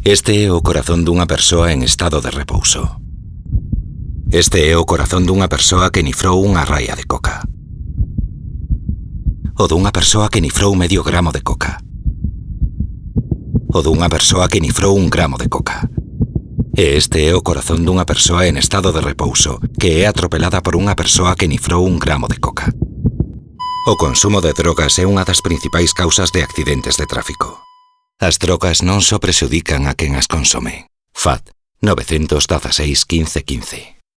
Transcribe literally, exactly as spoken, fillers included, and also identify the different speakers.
Speaker 1: Este é o corazón dunha persoa en estado de repouso. Este é o corazón dunha persoa que nifrou unha raia de coca. O dunha persoa que nifrou medio gramo de coca. O dunha persoa que nifrou un gramo de coca. E este é o corazón dunha persoa en estado de repouso que é atropelada por unha persoa que nifrou un gramo de coca. O consumo de drogas é unha das principais causas de accidentes de tráfico. As drogas non só prexudican a quen as consome. F A T nove uno seis, quince, quince.